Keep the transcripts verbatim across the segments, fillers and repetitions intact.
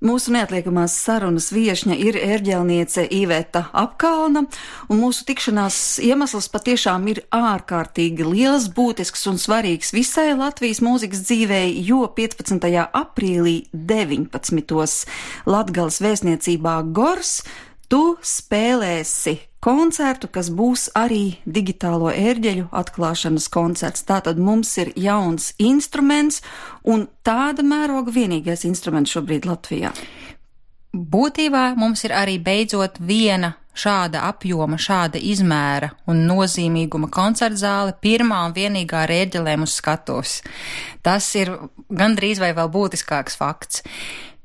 Mūsu neatliekamās sarunas viešņa ir ērģelniece Iveta Apkalna, un mūsu tikšanās iemesls patiešām ir ārkārtīgi liels, būtisks un svarīgs visai Latvijas mūzikas dzīvei, jo piecpadsmitajā aprīlī deviņpadsmitos Latgales vēstniecībā Gors tu spēlēsi koncertu, kas būs arī digitālo ērģeļu atklāšanas koncerts. Tātad mums ir jauns instruments un tāda mēroga vienīgais instruments šobrīd Latvijā. Būtībā mums ir arī beidzot viena šāda apjoma, šāda izmēra un nozīmīguma koncertzāle, pirmā un vienīgā ar ērģelēm uz skatuves. Tas ir gandrīz vai vēl būtiskāks fakts.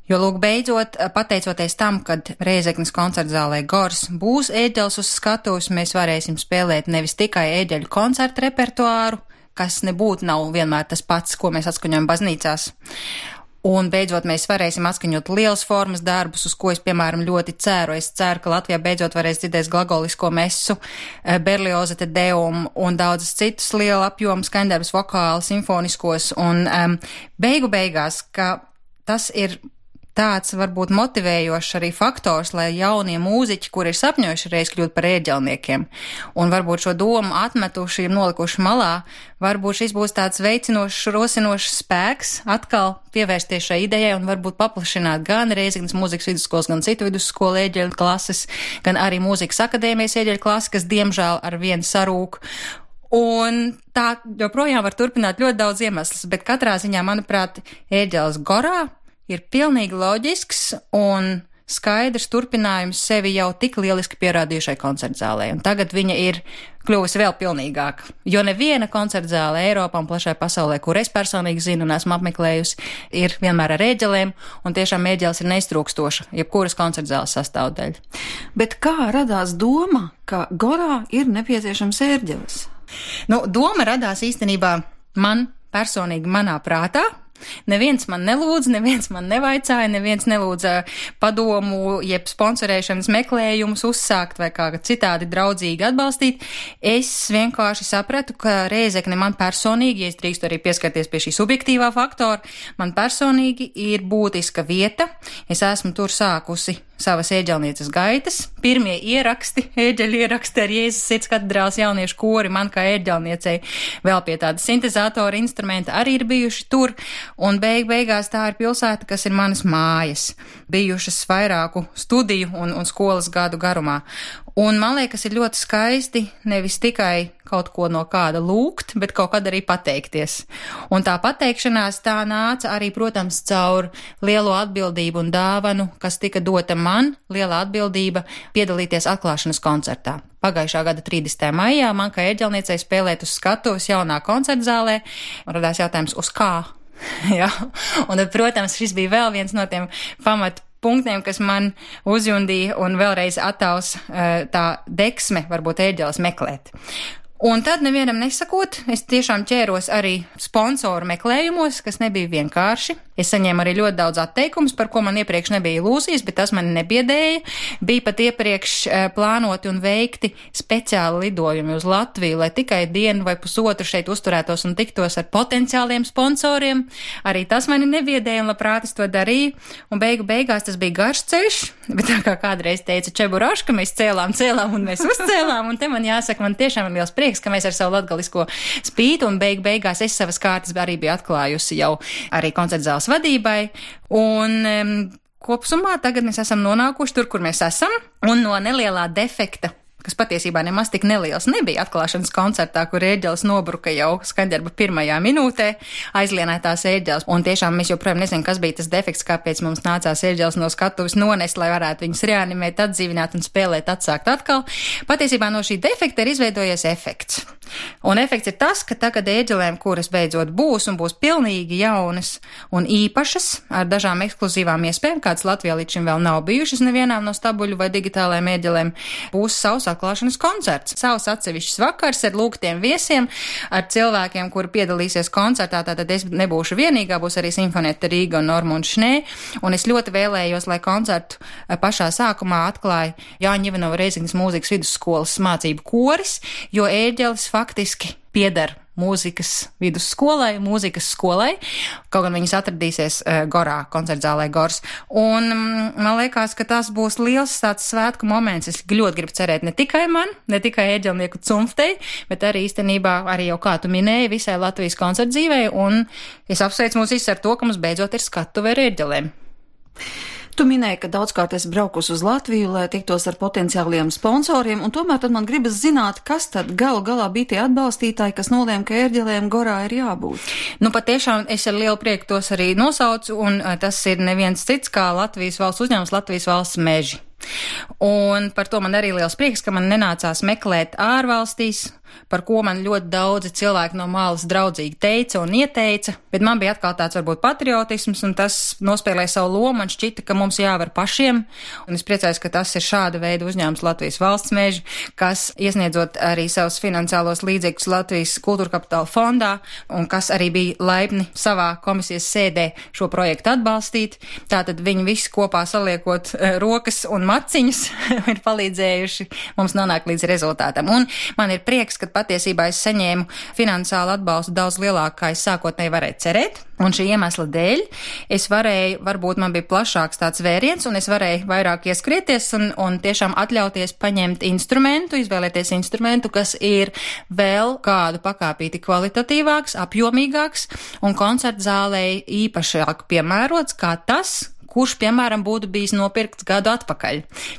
Jo, lūk, beidzot, pateicoties tam, kad Rēzeknes koncertzālē Gors būs ērģeles uz skatuves, mēs varēsim spēlēt nevis tikai ērģeļu koncertu repertuāru, kas nebūtu nav vienmēr tas pats, ko mēs atskaņojam baznīcās. Un beidzot mēs varēsim atskaņot liels formas darbus, uz ko es, piemēram, ļoti ceru. Es ceru, ka Latvijā beidzot varēs dzirdēt glagolisko mesu, Berlioza te deum un daudzas citus liela apjoma skaņdarbus, vokāli, simfoniskos. Un um, beigu beigās, ka tas ir tāds varbūt motivējošs arī faktors, lai jaunie mūziķi, kuri ir sapņojuši reiz kļūt par ērģelniekiem, un varbūt šo domu atmetuši un nolikuši malā, varbūt šis būs tāds veicinošs, rosinošs spēks atkal pievērsties šai idejai un varbūt paplašināt gan Rēzeknes mūzikas vidusskolas, gan citu vidusskolu ērģeļu klases, gan arī mūzikas akadēmijas ērģeļu klases, kas diemžēl ar vienu sarūk. Un tā joprojām var turpināt ļoti daudz iemeslus, bet katrā ziņā, manuprāt, ērģeles Gorā ir pilnīgi loģisks un skaidrs turpinājums sevi jau tik lieliski pierādījušai koncertzālē. Un tagad viņa ir kļuvusi vēl pilnīgāka, jo neviena koncertzāle Eiropā un plašai pasaulē, kur es personīgi zinu un esmu apmeklējusi, ir vienmēr ar ērģelēm, un tiešām ērģeles ir neiztrūkstoša, jebkuras koncertzāles sastāvdaļa. Bet kā radās doma, ka Gorā ir nepieciešams ērģeles? Nu, doma radās īstenībā man personīgi manā prātā. Neviens man nelūdz, neviens man nevaicāja, neviens nelūdza padomu, jeb sponsorēšanas meklējumus uzsākt vai kā citādi draudzīgi atbalstīt. Es vienkārši sapratu, ka Rēzekne man personīgi, ja es drīkstu arī pieskarties pie šī subjektīvā faktora, man personīgi ir būtiska vieta. Es esmu tur sākusi savas ērģelnieces gaitas. Pirmie ieraksti, ērģeļu ieraksti ar Jēzus Sirds katedrāles jauniešu kori man kā ērģelniecei vēl pie tāda sintezatora instrumenta arī ir bijuši tur. Un beig beigās tā ir pilsēta, kas ir manas mājas, bijušas vairāku studiju un, un skolas gadu garumā. Un man liekas, ir ļoti skaisti nevis tikai kaut ko no kāda lūgt, bet kaut kad arī pateikties. Un tā pateikšanās tā nāca arī, protams, caur lielo atbildību un dāvanu, kas tika dota man, liela atbildība piedalīties atklāšanas koncertā. Pagājušā gada trīsdesmitajā maijā man kā ērģelniecei spēlēt uz skatuves jaunā koncertzālē, un radās jautājums, uz kā? Jā, un tad, protams, šis bija vēl viens no tiem pamatu punktiem, kas man uzjundīja un vēlreiz attaus tā deksme varbūt ērģeles meklēt. Un tad nevienam nesakot, es tiešām ķēros arī sponsoru meklējumos, kas nebija vienkārši. Es saņēmu arī ļoti daudz atteikumus, par ko man iepriekš nebija ilūzijas, bet tas mani nebiedēja. Bija pat iepriekš plānoti un veikti speciāli lidojumi uz Latviju, lai tikai dienu vai pusotru šeit uzturētos un tiktos ar potenciāliem sponsoriem. Arī tas mani nebiedēja un labprāt es to darīju. Un beigu beigās tas bija garš ceļš, bet tā kā kādreiz teica Čeburaška, mēs cēlām, cēlām un mēs uzcēlām. Un te man jāsaka, man tiešām ir liels prieks, ka mēs ar savu latgalisko spītu un beig beigās es savas kārtas arī biju atklājusi jau arī koncertzāles vadībai. Un um, kopsumā tagad mēs esam nonākuši tur, kur mēs esam, un no nelielā defekta, kas patiesībā nemaz tik neliels nebija atklāšanas koncertā, kur ērģeles nobruka jau skaņdarba pirmajā minūtē, aizlienētās ērģeles. Un tiešām mēs joprojām nezinām, kas bija tas defekts, kāpēc mums nācās ērģeles no skatuves nonest, lai varētu viņus reanimēt, atdzīvināt un spēlēt, atsākt atkal. Patiesībā no šī defekta ir izveidojies efekts. Un efekts ir tas, ka tagad ērģelēm, kuras beidzot būs un būs pilnīgi jaunas un īpašas, ar dažām ekskluzīvām iespējām, kādas Latvijā līdz šim vēl nav bijušas nevienām no stabuļu vai digitālajām ērģelēm, būs savs atklāšanas koncerts. Savs atsevišķs vakars ar lūgtiem viesiem, ar cilvēkiem, kuri piedalīsies koncertā, tātad es nebūšu vienīgā, būs arī Simfonieta Rīga un Normund Šnē, un es ļoti vēlējos, lai koncertu pašā sākumā atklāja Jāņa Ivanova Rēzeknes mūzikas vidusskolas mācību koris, jo ērģeles faktiski pieder mūzikas vidusskolai, mūzikas skolai, kaut gan viņas atradīsies uh, Gorā, koncertzālē Gors. Un um, man liekas, ka tas būs liels tāds svētku moments. Es ļoti gribu cerēt ne tikai man, ne tikai ēģelnieku cumftei, bet arī īstenībā, arī jau kā tu minēji, visai Latvijas koncertdzīvei, un es apsveicu mūs visus ar to, ka mums beidzot ir skatuve ar ēģelēm. Tu minēji, ka daudzkārt esi braukusi uz Latviju, lai tiktos ar potenciāliem sponsoriem, un tomēr tad man gribas zināt, kas tad galu galā bija tie atbalstītāji, kas nolēma, ka ērģelēm Gorā ir jābūt. Nu, patiešām es ar lielu prieku tos arī nosaucu, un tas ir neviens cits kā Latvijas valsts uzņēmums, Latvijas valsts meži. Un par to man arī liels prieks, ka man nenācās meklēt ārvalstīs, par ko man ļoti daudzi cilvēki no malas draudzīgi teica un ieteica, bet man bija atkal tāds varbūt patriotisms, un tas nospēlēja savu lomu, man šķita, ka mums jāvar pašiem, un es priecājos, ka tas ir šāda veida uzņēmums Latvijas valsts meži, kas iesniedzot arī savus finansiālos līdzekļus Latvijas kultūra kapitāla fondā, un kas arī bija laipni savā komisijas sēdē šo projektu atbalstīt. Tātad viņi visi kopā saliekot uh, rokas un maciņus ir palīdzējuši mums nonākt līdz rezultātam. Un man ir prieks, ka patiesībā es saņēmu finansiālu atbalstu daudz lielāku, kā es sākotnēji varēju cerēt. Un šī iemesla dēļ es varēju, varbūt man bija plašāks tāds vēriens, un es varēju vairāk ieskrieties un, un tiešām atļauties paņemt instrumentu, izvēlēties instrumentu, kas ir vēl kādu pakāpīti kvalitatīvāks, apjomīgāks un koncertzālei īpašāk piemērots kā tas, kurš, piemēram, būtu bijis nopirkts gadu atpakaļ,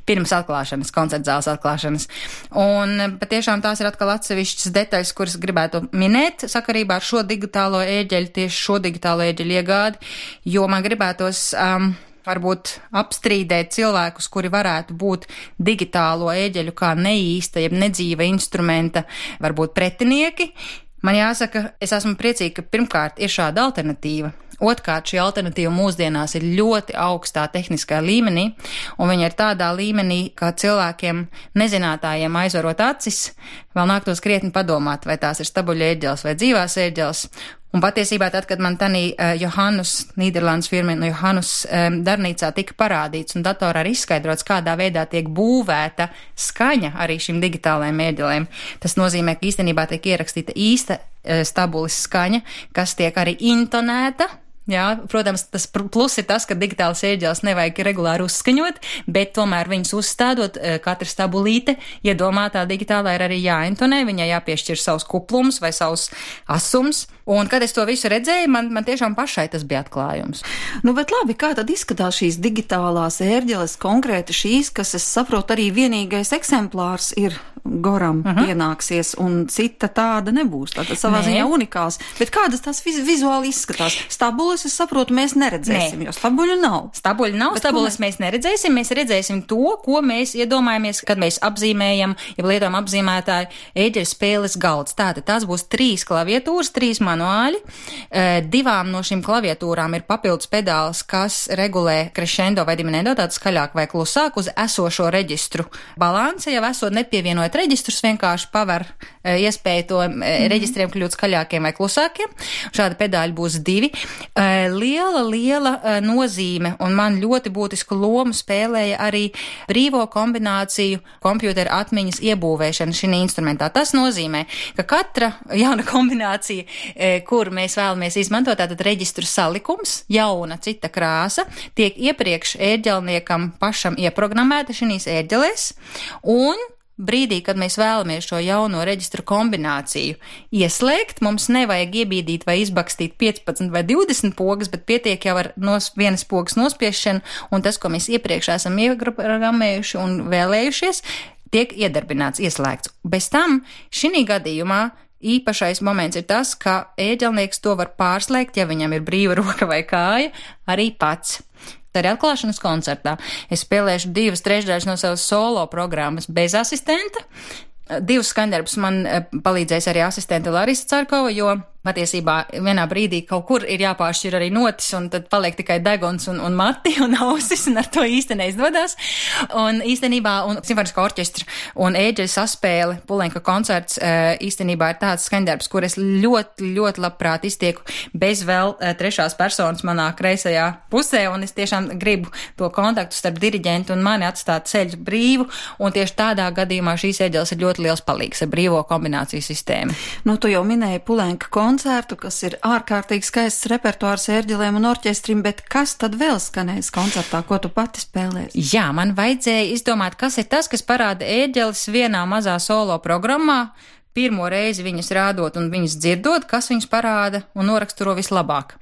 pirms atklāšanas, koncertzāles atklāšanas. Un patiešām tās ir atkal atsevišķas detaļas, kuras gribētu minēt sakarībā ar šo digitālo ēģeļu, tieši šo digitālo ēģeļu iegādi, jo man gribētos um, varbūt apstrīdēt cilvēkus, kuri varētu būt digitālo ēģeļu kā neīsta, jeb nedzīva instrumenta, varbūt pretinieki. Man jāsaka, es esmu priecīga, ka pirmkārt ir šāda alternatīva. Otkārt, šī alternatīva mūsdienās ir ļoti augstā tehniskā līmenī, un viņa ir tādā līmenī, ka cilvēkiem nezinātājiem aizvarot acis, vēl nāktos krietni padomāt, vai tās ir stabuļu ēģeles vai dzīvās ēģeles. Un patiesībā tad, kad man tanī uh, Johannus, Nīderlandes firma no Johannus um, darbnīcā tika parādīts un datorā arī izskaidrots, kādā veidā tiek būvēta skaņa arī šīm digitālajiem ēģelēm, tas nozīmē, ka īstenībā tiek ierakstīta īsta uh, stabulis skaņa, kas tiek arī intonēta. Jā, protams, tas plus ir tas, ka digitālas ēģeles nevajag regulāri uzskaņot, bet tomēr viņas uzstādot, katra stabulīte iedomātā digitālā ir arī jāintonē, viņai jāpiešķir savus kuplums vai savus asums. Un, kad es to visu redzēju, man, man tiešām pašai tas bija atklājums. Nu, bet labi, kā tad izskatās šīs digitālās ērģeles, konkrēti šīs, kas, es saprotu, arī vienīgais eksemplārs ir Goram uh-huh. pienāksies, un cita tāda nebūs. Tātad savā Nē. ziņā unikāls. Bet kādas tās viz, vizuāli izskatās? Stabules, es saprotu, mēs neredzēsim, Nē. jo stabuļu nav. Stabuļu nav, bet stabules mēs... mēs neredzēsim, mēs redzēsim to, ko mēs iedomājamies, kad mēs apzīmējam, ja lietojam apzīmētāju ēģeļu spēles galds. Tātad tās būs trīs klaviatūras, trīs manuāļi. Divām no šīm klaviatūrām ir papildus pedāls, kas regulē crescendo vai diminuendo, tātad skaļāk vai klusāk uz esošo reģistru balanse, jau esot nepievienojot reģistrus, vienkārši paver iespēju to mm-hmm. reģistriem kļūt skaļākiem vai klusākiem. Šādi pedāļi būs divi. Liela, liela nozīme un man ļoti būtisku lomu spēlēja arī brīvo kombināciju kompjūtera atmiņas iebūvēšana šī instrumentā. Tas nozīmē, ka katra jauna kombinācija, kur mēs vēlamies izmantot, tātad reģistru salikums, jauna cita krāsa, tiek iepriekš ērģelniekam pašam ieprogrammēta šīs ērģelēs, un brīdī, kad mēs vēlamies šo jauno reģistru kombināciju ieslēgt, mums nevajag iebīdīt vai izbakstīt piecpadsmit vai divdesmit pogas, bet pietiek jau ar nos, vienas pogas nospiešanu, un tas, ko mēs iepriekš esam ieprogrammējuši un vēlējušies, tiek iedarbināts, ieslēgts. Bez tam šī gadījumā īpašais moments ir tas, ka ēģelnieks to var pārslēgt, ja viņam ir brīva roka vai kāja, arī pats. Arī atklāšanas koncertā es spēlēšu divas trešdaļas no savas solo programmas bez asistenta. Divus skaņdarbus man palīdzēs arī asistente Larisa Carkova, jo Patiesībā vienā brīdī kaut kur ir jāpāršķir arī notis, un tad paliek tikai deguns un, un mati un ausis, un ar to īsti neizdodas. Un īstenībā, un simfoniskā orķestra un ēģeļa saspēle, Pulenka koncerts, īstenībā ir tāds skaņdarbs, kur es ļoti, ļoti labprāt iztieku bez vēl trešās personas manā kreisajā pusē, un es tiešām gribu to kontaktu starp diriģentu un mani atstāt ceļu brīvu, un tieši tādā gadījumā šīs ēģeles ir ļoti liels palīgs ar brīvo kombināciju sistēmu. Nu, tu jau minēji Pulenka koncertu, koncertu, kas ir ārkārtīgi skaists repertuārs ērģelēm un orķestrim, bet kas tad vēl skanēs koncertā, ko tu pati spēlēsi? Jā, man vajadzēja izdomāt, kas ir tas, kas parāda ērģeles vienā mazā solo programmā, pirmo reizi viņas rādot un viņas dzirdot, kas viņas parāda un noraksturo vislabāk.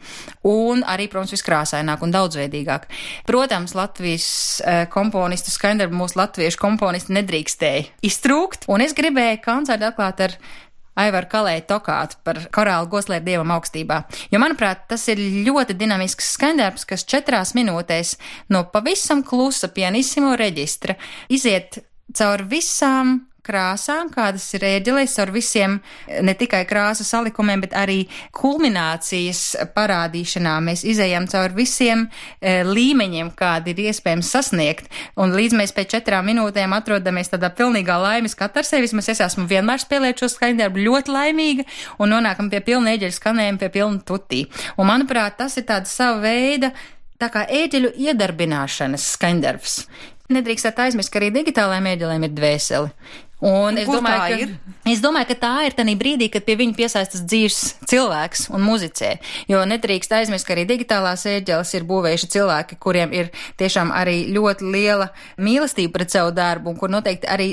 Un arī, protams, viskrāsaināk un daudzveidīgāk. Protams, Latvijas eh, komponistu skaņdarbu mūsu latviešu komponisti nedrīkstēja iztrūkt, un es gribēju koncertu atklāt ar Aivaru Kalēju Tokātu par korālu Goslēr Dievam augstībā. Jo, manuprāt, tas ir ļoti dinamisks skaņdarbs, kas četrās minūtēs no pavisam klusa pianissimo reģistra iziet caur visām krāsām, kādas ir ēģelēs, ar visiem ne tikai krāsu salikumiem, bet arī kulminācijas parādīšanā. Mēs izējam caur visiem e, līmeņiem, kādi ir iespējams sasniegt. Un līdz mēs pēc četrām minūtēm atrodamies tādā pilnīgā laimes katarsē, vismaz es esmu vienmēr spēlēt šo skaņdarbu ļoti laimīga un nonākam pie pilna ēģeļu skanējuma, pie pilna tutī. Un, manuprāt, tas ir tāds sava veida, tā kā ēģeļu iedarbināšanas skaņdarbs. Nedrīkstāt aizmirst, ka arī digitālajiem ēģelēm ir dvēseli. Un es domāju, ka, es domāju, ka tā ir tanī brīdī, kad pie viņa piesaistas dzīves cilvēks un muzicē, jo nedrīkst aizmirst, ka arī digitālās ēģeles ir būvējuši cilvēki, kuriem ir tiešām arī ļoti liela mīlestība pret savu darbu un kur noteikti arī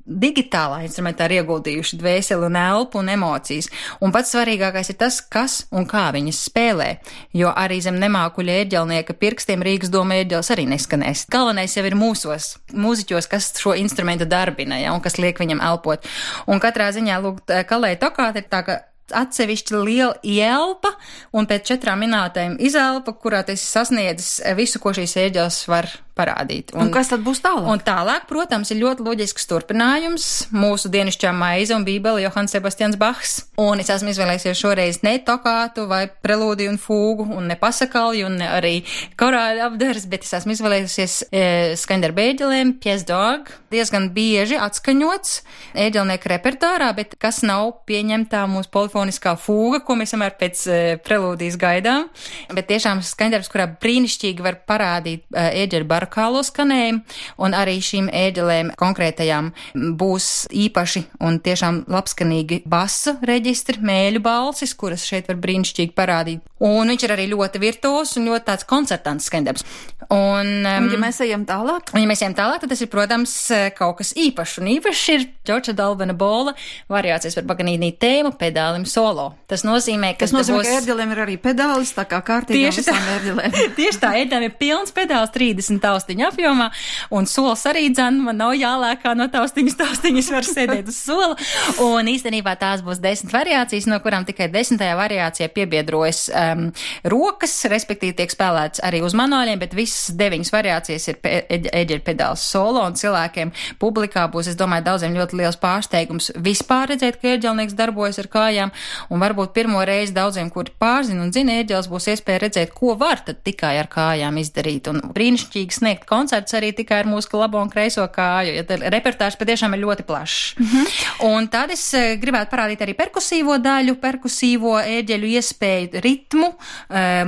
digitālā instrumentā ir ieguldījuši dvēseli un elpu un emocijas. Un pats svarīgākais ir tas, kas un kā viņas spēlē, jo arī zem nemākuļa ērģelnieka pirkstiem Rīgas doma ērģeles arī neskanēs. Galvenais jau ir mūsos, mūziķos, kas šo instrumentu darbina, ja, un kas liek viņam elpot. Un katrā ziņā, lūk, Kalēja Tokāta ir tā, ka atsevišķi liela ielpa, un pēc četrām minūtēm izelpa, kurā tas sasniedzis visu, ko šīs ēģeles var parādīt. Un, un kas tad būs tālāk? Un tālāk, protams, ir ļoti loģisks turpinājums mūsu dienišķā maize un bībele Johans Sebastians Bachs. Un es esmu izvēlējusies šoreiz ne tokātu vai prelūdiju un fūgu un ne pasakalju un ne arī korāļu apdars, bet es esmu izvēlējusies e, skaņdarbu ēģelēm, pièce d'orgue, diezgan bieži atskaņots ēģelnieku repertuārā, bet kas nav pieņemtā mūsu polifoniskā fūga, ko mēs vienmēr pēc e, prelūdijas gaidām. Bet tiešām skaņdarbs, kurā brīnišķīgi var parādīt e, ēģeļu barakālo skanējumu, un arī šīm ēģelēm konkrētajām būs īpaši un tiešām labskanīgi basu reģistri, mēļu balsis, kuras šeit var brīnišķīgi parādīt. Un viņš ir arī ļoti virtuos un ļoti tāds koncertants skaņdarbs. Un, um, un ja mēs ejam tālāk? Un ja mēs ejam tālāk, tad tas ir, protams, kaut kas īpašs. Un īpašs ir Džordža Dalbena Bola variācijas par Paganīnī tēmu pedālim solo. Tas nozīmē, ka tas nozīmē, būs... ka ērģelēm ir arī pedālis, tā kā kārtīgām visām ērģelēm. Tieši tā, ērģelēm ir pilns pedāls trīsdesmit taustiņu apjomā, un sols arī dzan, man nav jālēkā no taustiņas, taustiņas var sēdēt uz sola. Un īstenībā tās būs desmit variācijas, no kurām tikai desmitajā variācijā piebiedrojas um, rokas, respektīvi tiek spēlēts arī uz manuāļiem, bet visas deviņas variācijas ir pe ēģeļu pedāls solo, un cilvēkiem publikā būs, es domāju, daudziem ļoti liels pārsteigums vispār redzēt, ka ērģelnieks darbojas ar kājām, un varbūt pirmo reizi daudziem, kuri pārzina un zina ērģeles, būs iespēja redzēt, ko var tad tikai ar kājām izdarīt, un brīnišķīgi sniegt koncerts arī tikai ar mūsu labo un kreiso kāju, ja repertārs patiešām ir ļoti plašs. Mm-hmm. Un tad es gribētu parādīt arī perkusīvo daļu, perkusīvo ērģeļu iespēju ritmu,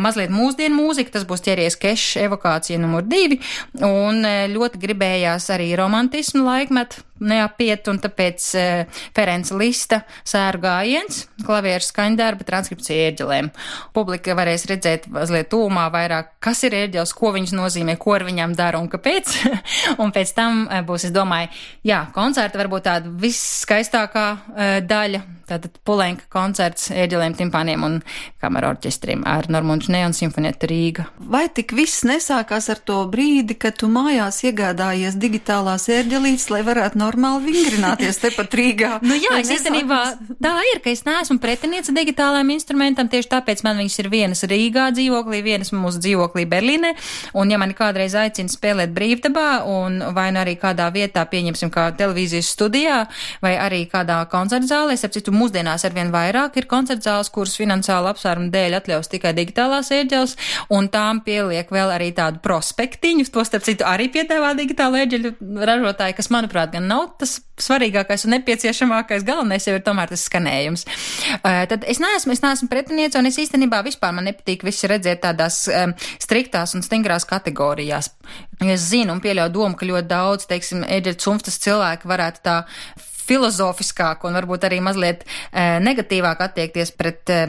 mazliet mūsdienu mūziku, tas būs ķeries kešs evokācija numur divi, un ļoti gribējās arī romantismu laikmetu neapiet, un tāpēc uh, Ferenca Lista sēru gājiens, klavieru skaņdarba, transkripcija ērģelēm. Publika varēs redzēt mazliet tūmā vairāk, kas ir ērģeles, ko viņas nozīmē, ko ar viņām dara un kāpēc. Un pēc tam uh, būs, es domāju, jā, koncerta varbūt tāda visskaistākā uh, daļa, tātad Pulenka koncerts ērģelēm, timpāniem un kamera orķestriem ar Normundu Šnē un Simfonietu Rīga. Vai tik viss nesākās ar to brīdi, kad tu mājās iegādājies digitālās ērģelītes, lai varētu normāli normāli vingrināties tepat Rīgā. Nu jā, es īstenībā tā ir, ka es neesmu pretiniece digitālajiem instrumentam, tieši tāpēc man viņas ir vienas Rīgā dzīvoklī, vienas mūsu dzīvoklī Berlīnē, un ja mani kādreiz aicina spēlēt brīvdabā, un vai nu arī kādā vietā, pieņemsim, kā televīzijas studijā, vai arī kādā koncertzālē, ap citu mūsdienās arvien vairāk ir koncertzāles, kuras finansiāla apsvērumu dēļ atļaus tikai digitālās ērģeles, un tām pieliek vēl arī tādu prospektiņu, to starp citu arī piedāvā digitāla ērģeļu ražotāji, kas, manuprāt, gan nav tas svarīgākais un nepieciešamākais, galvenais jau ir tomēr tas skanējums. Uh, tad es neesmu, es neesmu pretiniece, un es īstenībā vispār man nepatīk visi redzēt tādās um, striktās un stingrās kategorijās. Es zinu un pieļauju domu, ka ļoti daudz, teiksim, ērģeļu cumstas cilvēki varētu tā filozofiskāk un varbūt arī mazliet e, negatīvāk attiekties pret e,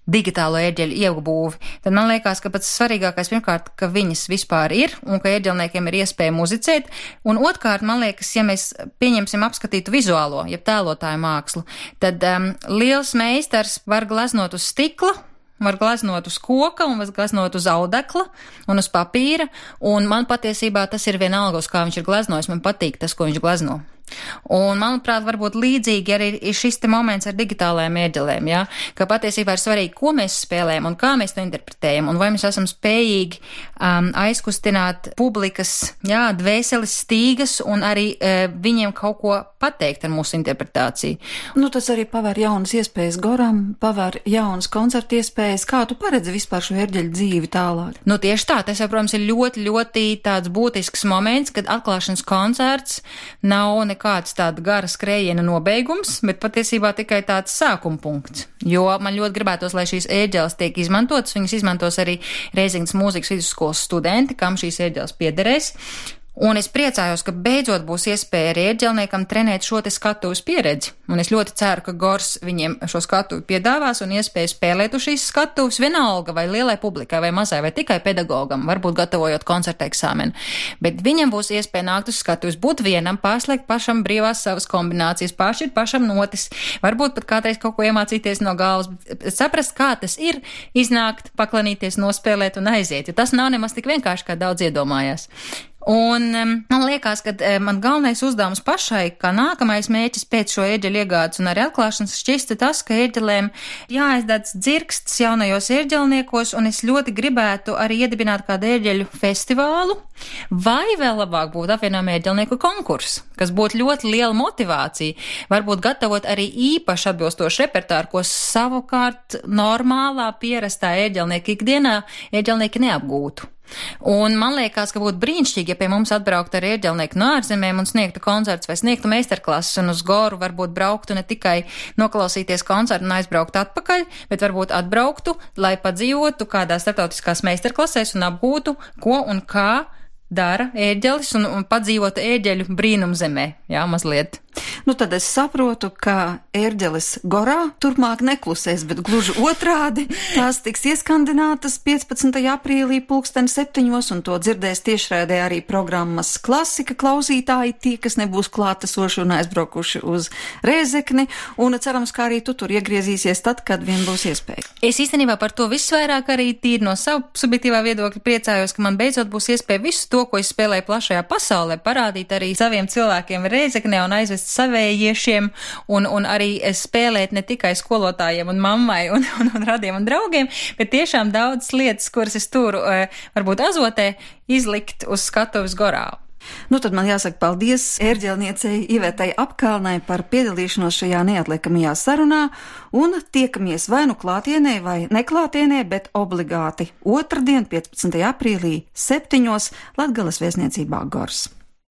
digitālo ērģeļu iegūvi. Tad man liekas, ka pats svarīgākais pirmkārt, ka viņas vispār ir un ka ērģelniekiem ir iespēja muzicēt. Un otrkārt, man liekas, ja mēs pieņemsim apskatītu vizuālo, jeb tēlotāju mākslu, tad um, liels meistars var glaznot uz stikla, var glaznot uz koka un var glaznot uz audekla un uz papīra. Un man patiesībā tas ir vienalga, uz kā viņš ir glaznojis. Man patīk tas, ko viņš glazno. Un, manuprāt, varbūt līdzīgi arī ir šis te moments ar digitālajām ērģelēm, ja? Ka patiesībā ir svarīgi, ko mēs spēlējam un kā mēs to interpretējam, un vai mēs esam spējīgi um, aizkustināt publikas, jā, dvēseles stīgas un arī uh, viņiem kaut ko pateikt ar mūsu interpretāciju. Nu, tas arī pavēr jaunas iespējas Goram, pavēr jaunas koncertu iespējas. Kā tu paredzi vispār šo ērģeļu dzīvi tālāk? Nu, tieši tā, tas, protams, ir ļoti, ļoti tāds būtisks moments, kad atklāšanas koncerts nav ne kāds tāda gara skrējiena nobeigums, bet patiesībā tikai tāds sākuma punkts. Jo man ļoti gribētos, lai šīs ērģeles tiek izmantotas, viņas izmantos arī Reizingas mūzikas vidusskolas studenti, kam šīs ērģeles piederēs. Un es priecājos, ka beidzot būs iespēja arī ērģelniekam trenēt šo te skatuves pieredzi. Un es ļoti ceru, ka Gors viņiem šo skatuvi piedāvās un iespēju spēlēt uz šīs skatuves vienalga vai lielai publikai vai mazai vai tikai pedagogam, varbūt gatavojot koncerta eksāmenu. Bet viņam būs iespēja nākt uz skatuves, būt vienam, pārslēgt pašam brīvās savas kombinācijas, pāršķirt pašam notis, varbūt pat kādreiz kaut ko iemācīties no galvas, saprast, kā tas ir, iznākt, paklanīties, nospēlēt un aiziet, jo tas nav nemaz tik vienkārši, kā daudz iedomājās. Un um, man liekas, ka um, man galvenais uzdevums pašai, kā nākamais mērķis pēc šo ērģeļu iegādes un arī atklāšanas šķista tas, ka ērģelēm jāaizdedz dzirksts jaunajos ērģelniekos, un es ļoti gribētu arī iedibināt kādu ērģeļu festivālu, vai vēl labāk būtu apvienojuma ērģelnieku konkurss, kas būtu ļoti liela motivācija, varbūt gatavot arī īpaši atbilstošu repertāru, ko savukārt normālā pierastā ērģelnieka ikdienā ērģelnieki neapgūtu. Un man liekas, ka būtu brīnišķīgi, ja pie mums atbrauktu ar ērģelnieku no ārzemēm un sniegtu koncerts vai sniegtu meistarklases un uz Goru varbūt brauktu ne tikai noklausīties koncertu un aizbrauktu atpakaļ, bet varbūt atbrauktu, lai padzīvotu kādā starptautiskās meistarklasēs un apgūtu, ko un kā dara ērģelis un, un padzīvot ērģeļu brīnumzemē, jā, mazliet. Nu, tad es saprotu, ka ērģeles Gorā turpmāk neklusēs, bet gluži otrādi tās tiks ieskandinātas piecpadsmitajā aprīlī pulksten septiņos, un to dzirdēs tiešraidē arī programmas Klasika klausītāji, tie, kas nebūs klātesoši un aizbraukuši uz Rēzekni, un cerams, ka arī tu tur iegriezīsies tad, kad vien būs iespēja. Es īstenībā par to visvairāk arī tīri no savu subjektīvā viedokļa priecājos, ka man beidzot būs iespēja visu to, ko es spēlēju plašajā pasaulē, parādīt arī saviem cilvēkiem Rēzeknē un aizvest savējiešiem un, un arī spēlēt ne tikai skolotājiem un mammai un, un, un radiem un draugiem, bet tiešām daudz lietas, kuras es turu varbūt azotē, izlikt uz skatuves Gorā. Nu, tad man jāsaka paldies ērģelniecei Ivetai Apkalnai par piedalīšanos šajā neatliekamajā sarunā, un tiekamies vai nu klātienē vai neklātienē, bet obligāti otrdien, piecpadsmitajā aprīlī septiņos Latgales vēstniecībā Gors.